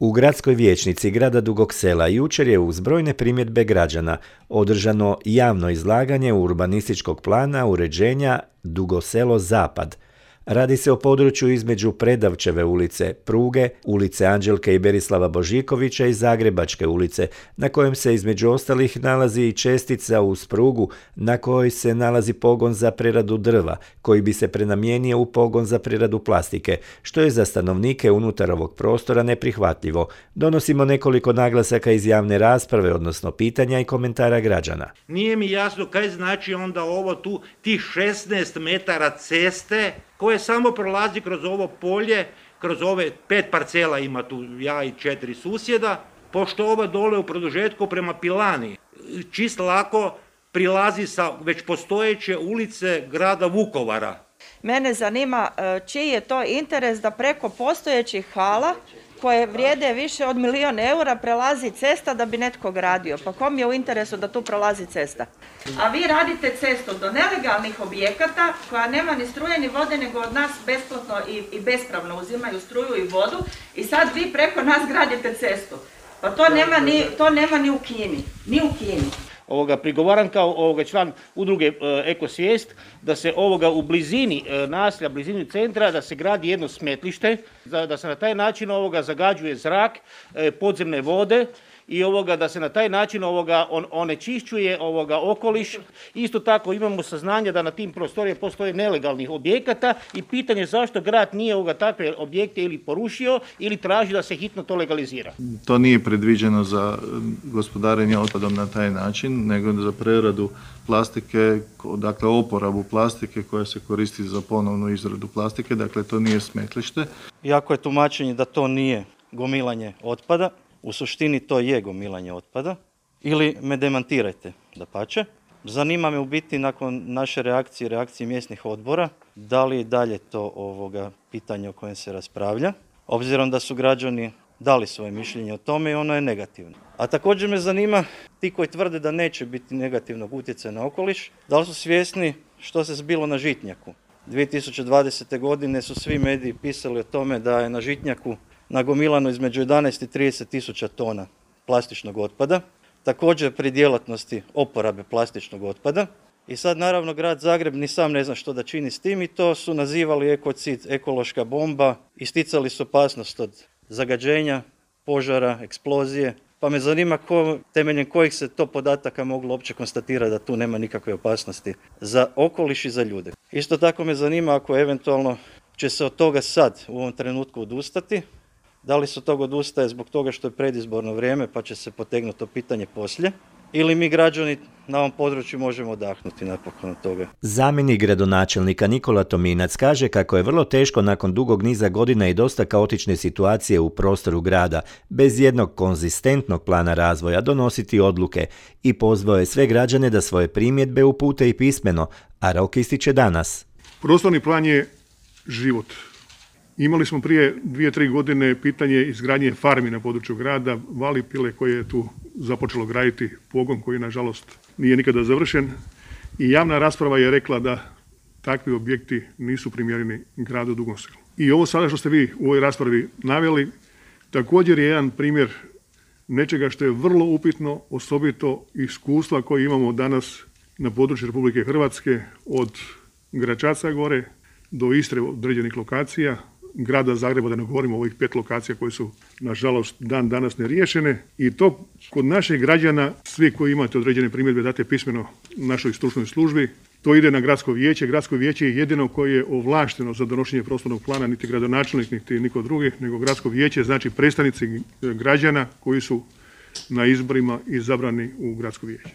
U gradskoj vijećnici grada Dugog Sela jučer je uz brojne primjedbe građana održano javno izlaganje urbanističkog plana uređenja Dugo Selo Zapad. Radi se o području između Predavčeve ulice, Pruge, ulice Anđelke i Berislava Božikovića i Zagrebačke ulice, na kojem se između ostalih nalazi i čestica uz prugu na kojoj se nalazi pogon za preradu drva, koji bi se prenamijenio u pogon za preradu plastike, što je za stanovnike unutar ovog prostora neprihvatljivo. Donosimo nekoliko naglasaka iz javne rasprave, odnosno pitanja i komentara građana. Nije mi jasno kaj znači onda ovo tu, tih 16 metara ceste koje samo prolazi kroz ovo polje, kroz ove 5 parcela ima tu, ja i 4 susjeda, pošto ova dole u produžetku prema Pilani čist lako prilazi sa već postojeće ulice grada Vukovara. Mene zanima čiji je to interes da preko postojećih hala koje vrijede više od 1 milijun eura prelazi cesta da bi netko gradio. Pa kom je u interesu da tu prolazi cesta? A vi radite cestu do nelegalnih objekata koja nema ni struje ni vode, nego od nas besplatno i bespravno uzimaju struju i vodu i sad vi preko nas gradite cestu. Pa to nema ni u Kini. Ni u Kini. Prigovaram kao član udruge Ekosvijest da se u blizini naselja, blizini centra, da se gradi jedno smetlište, da se na taj način zagađuje zrak, podzemne vode i da se na taj način onečišćuje okoliš. Isto tako imamo saznanje da na tim prostorima postoje nelegalnih objekata i pitanje zašto grad nije takve objekte ili porušio ili traži da se hitno to legalizira. To nije predviđeno za gospodarenje otpadom na taj način, nego za preradu plastike, dakle oporabu plastike koja se koristi za ponovnu izradu plastike, dakle to nije smetlište. Iako je tumačenje da to nije gomilanje otpada, u suštini to je gomilanje otpada, ili me demantirajte, dapače. Zanima me u biti nakon naše reakcije mjesnih odbora, da li je dalje to pitanje o kojem se raspravlja, obzirom da su građani dali svoje mišljenje o tome i ono je negativno. A također me zanima, ti koji tvrde da neće biti negativnog utjecaja na okoliš, da li su svjesni što se zbilo na Žitnjaku? 2020. godine su svi mediji pisali o tome da je na Žitnjaku nagomilano između 11 i 30 tisuća tona plastičnog otpada, također pri djelatnosti oporabe plastičnog otpada. I sad naravno grad Zagreb ni sam ne zna što da čini s tim i to su nazivali ekocid, ekološka bomba, isticali su opasnost od zagađenja, požara, eksplozije. Pa me zanima temeljem kojih se to podataka moglo uopće konstatirati da tu nema nikakve opasnosti za okoliš i za ljude. Isto tako me zanima ako eventualno će se od toga sad u ovom trenutku odustati, da li se od toga odustaje zbog toga što je predizborno vrijeme pa će se potegnuti to pitanje poslije, ili mi građani na ovom području možemo odahnuti napokon od toga. Zamjenik gradonačelnika Nikola Tominac kaže kako je vrlo teško nakon dugog niza godina i dosta kaotične situacije u prostoru grada, bez jednog konzistentnog plana razvoja donositi odluke i pozvao je sve građane da svoje primjedbe upute i pismeno, a rok ističe danas. Prostorni plan je život. Imali smo prije 2-3 godine pitanje izgradnje farmi na području grada, Valipile koje je tu započelo graditi pogon koji nažalost nije nikada završen i javna rasprava je rekla da takvi objekti nisu primjereni gradu Dugom Selu. I ovo sada što ste vi u ovoj raspravi naveli također je jedan primjer nečega što je vrlo upitno, osobito iskustva koje imamo danas na području Republike Hrvatske od Gračaca gore do Istre određenih lokacija, grada Zagreba, da ne govorimo o ovih 5 lokacija koje su nažalost dan danas neriješene i to kod naših građana, svi koji imate određene primjedbe date pismeno našoj stručnoj službi, to ide na gradsko vijeće. Gradsko vijeće je jedino koje je ovlašteno za donošenje prostornog plana, niti gradonačelnik, niti niko drugi, nego gradsko vijeće, znači predstavnici građana koji su na izborima izabrani u gradsko vijeće.